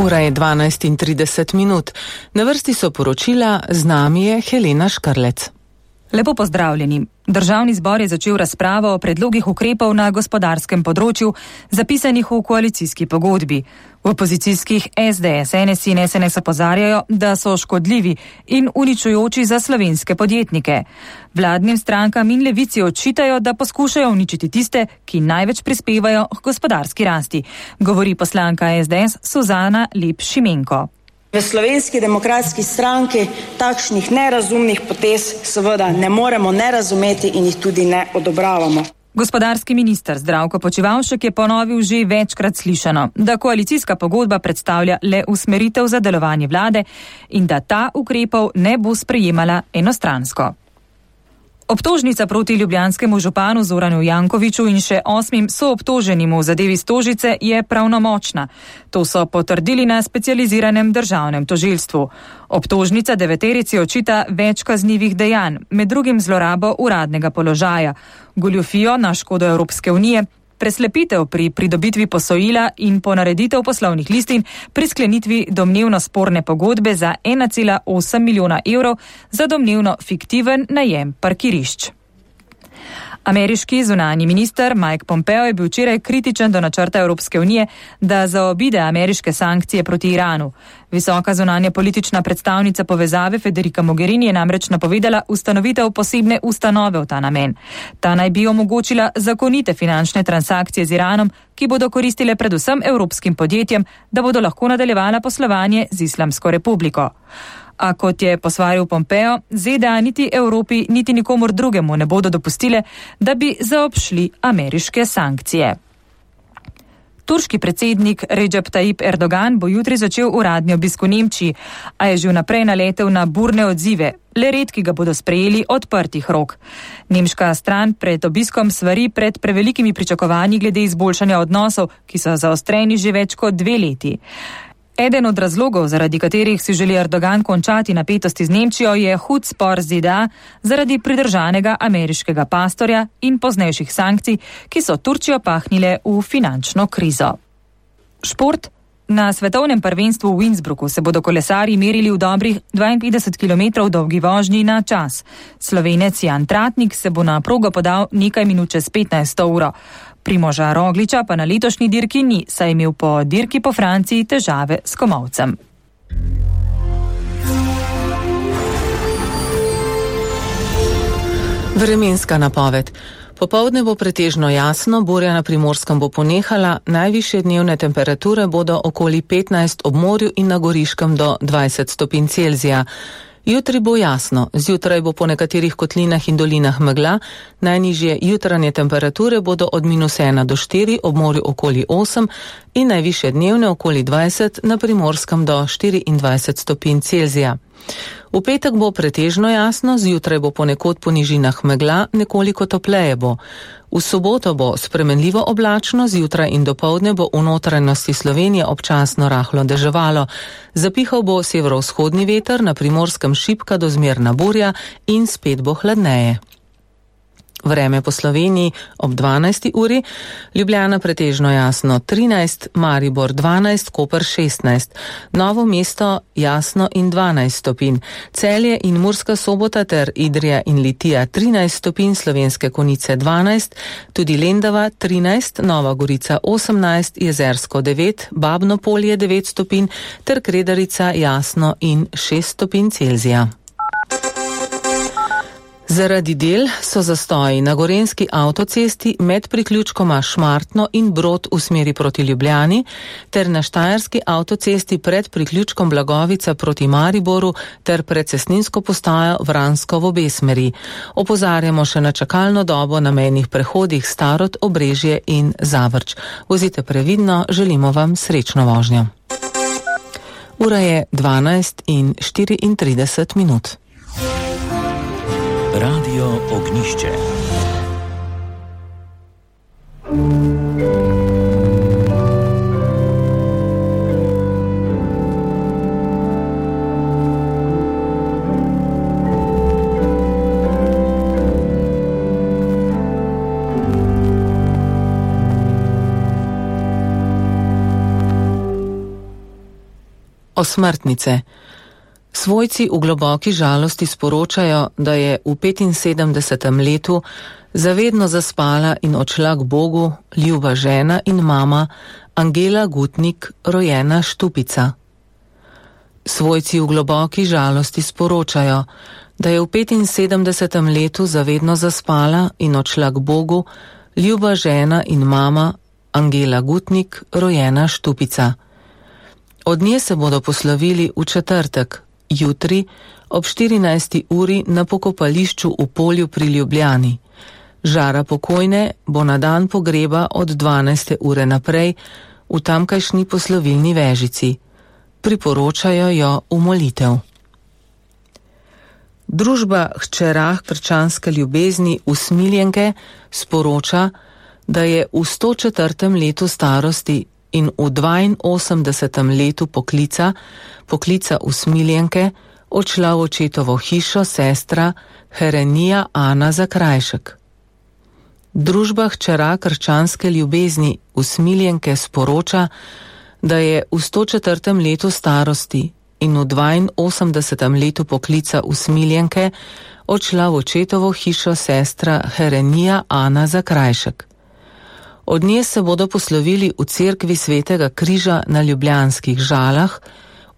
Ura je 12:30. Na vrsti so poročila, z nami je Helena Škrlec. Lepo pozdravljeni. Državni zbor je začel razpravo o predlogih ukrepov na gospodarskem področju, zapisanih v koalicijski pogodbi. V opozicijskih SDS, NSI in SNS opozarjajo, da so škodljivi in uničujoči za slovenske podjetnike. Vladnim strankam in levici očitajo, da poskušajo uničiti tiste, ki največ prispevajo k gospodarski rasti, govori poslanka SDS Suzana Lep-Šimenko. V Slovenski demokratski stranki takšnih nerazumnih potez seveda ne moremo ne razumeti in jih tudi ne odobravamo. Gospodarski minister Zdravko Počivalšek je ponovil že večkrat slišano, da koalicijska pogodba predstavlja le usmeritev za delovanje vlade in da ta ukrepov ne bo sprejemala enostransko. Obtožnica proti ljubljanskemu županu Zoranu Jankoviću in še 8 soobtoženim v zadevi Stožice je pravnomočna. To so potrdili na specializiranem državnem tožilstvu. Obtožnica 9 očita več kaznivih dejanj, med drugim zlorabo uradnega položaja, goljufijo na škodo Evropske unije, preslepitev pri pridobitvi posojila in ponareditev poslovnih listin pri sklenitvi domnevno sporne pogodbe za 1,8 milijona evrov za domnevno fiktiven najem parkirišč. Ameriški zunanji minister Mike Pompeo je bil včeraj kritičen do načrta Evropske unije, da zaobide ameriške sankcije proti Iranu. Visoka zunanja politična predstavnica povezave Federica Mogherini je namreč napovedala ustanovitev posebne ustanove v ta namen. Ta naj bi omogočila zakonite finančne transakcije z Iranom, ki bodo koristile predvsem evropskim podjetjem, da bodo lahko nadaljevala poslovanje z Islamsko republiko. A kot je posvaril Pompeo, ZDA niti Evropi, niti nikomur drugemu ne bodo dopustile, da bi zaobšli ameriške sankcije. Turški predsednik Recep Tayyip Erdogan bo jutri začel uradni obisk v Nemčiji, a je že vnaprej naletel na burne odzive. Le redki ga bodo sprejeli odprtih rok. Nemška stran pred obiskom svari pred prevelikimi pričakovanji glede izboljšanja odnosov, ki so zaostreni že več kot 2 leti. Eden od razlogov, zaradi katerih si želi Erdogan končati napetosti z Nemčijo, je hud spor z ZDA zaradi pridržanega ameriškega pastorja in poznejših sankcij, ki so Turčijo pahnile v finančno krizo. Šport. Na svetovnem prvenstvu v Innsbrucku se bodo kolesarji merili v dobrih 52 km dolgi vožnji na čas. Slovenec Jan Tratnik se bo na progo podal nekaj minut čez 15. uro. Primoža Rogliča pa na letošnji dirki ni, saj je imel po dirki po Franciji težave s komolcem. Vremenska napoved. Popoldne bo pretežno jasno, burja na Primorskem bo ponehala, najvišje dnevne temperature bodo okoli 15 ob morju in na Goriškem do 20 stopinj Celzija. Jutri bo jasno, zjutraj bo po nekaterih kotlinah in dolinah megla, najnižje jutranje temperature bodo od -1 do 4, ob morju okoli 8 in najvišje dnevne okoli 20, na Primorskem do 24 stopinj Celzija. V petek bo pretežno jasno, zjutraj bo ponekod po nižinah megla, nekoliko topleje bo. V soboto bo spremenljivo oblačno, zjutraj in dopoldne bo v notranjosti Slovenije občasno rahlo deževalo. Zapihal bo severovzhodni veter, na Primorskem šibka do zmerna burja in spet bo hladneje. Vreme po Sloveniji ob 12. uri, Ljubljana pretežno jasno 13, Maribor 12, Koper 16, Novo mesto jasno in 12 stopinj, Celje in Murska Sobota ter Idrija in Litija 13 stopinj, Slovenske Konjice 12, tudi Lendava 13, Nova Gorica 18, Jezersko 9, Babno Polje 9 stopinj ter Kredarica jasno in 6 stopinj Celzija. Zaradi del so zastoji na gorenjski avtocesti med priključkoma Šmartno in Brod v smeri proti Ljubljani ter na štajerski avtocesti pred priključkom Blagovica proti Mariboru ter pred cestninsko postajo Vransko v obe smeri. Opozarjamo še na čakalno dobo na mejnih prehodih Starod, Obrežje in Zavrč. Vozite previdno, želimo vam srečno vožnjo. Ura je 12:34. Radio Ognišče. Osmrtnice. Svojci v globoki žalosti sporočajo, da je v 75. letu zavedno zaspala in odšla k Bogu ljuba žena in mama Angela Gutnik, rojena Štupica. Svojci v globoki žalosti sporočajo, da je v 75. letu zavedno zaspala in odšla k Bogu ljuba žena in mama Angela Gutnik, rojena Štupica. Od nje se bodo poslovili v četrtek, jutri, ob 14. uri na pokopališču v Polju pri Ljubljani. Žara pokojne bo na dan pogreba od 12. ure naprej v tamkajšnji poslovilni vežici. Priporočajo jo v molitev. Družba Hčerah krščanske ljubezni Usmiljenke sporoča, da je v 104. letu starosti in v 82. letu poklica Usmiljenke odšla v očetovo hišo sestra Herenija Ana Zakrajšek. Družba Hčera krščanske ljubezni Usmiljenke sporoča, da je v 104. letu starosti in v 82. letu poklica Usmiljenke odšla v očetovo hišo sestra Herenija Ana Zakrajšek. Od nje se bodo poslovili v cerkvi Svetega križa na Ljubljanskih Žalah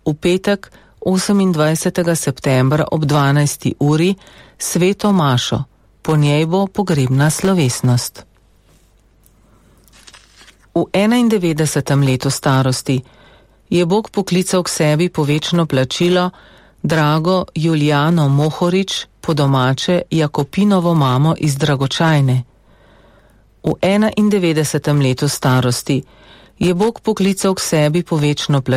v petek 28. septembra ob 12. uri sveto mašo. Po njej bo pogrebna slovesnost. V 91. letu starosti je Bog poklical k sebi po večno plačilo drago Julijano Mohorič, po domače Jakopinovo mamo iz Dragočajne. V 91. letu starosti je Bog poklical k sebi po večno plačilo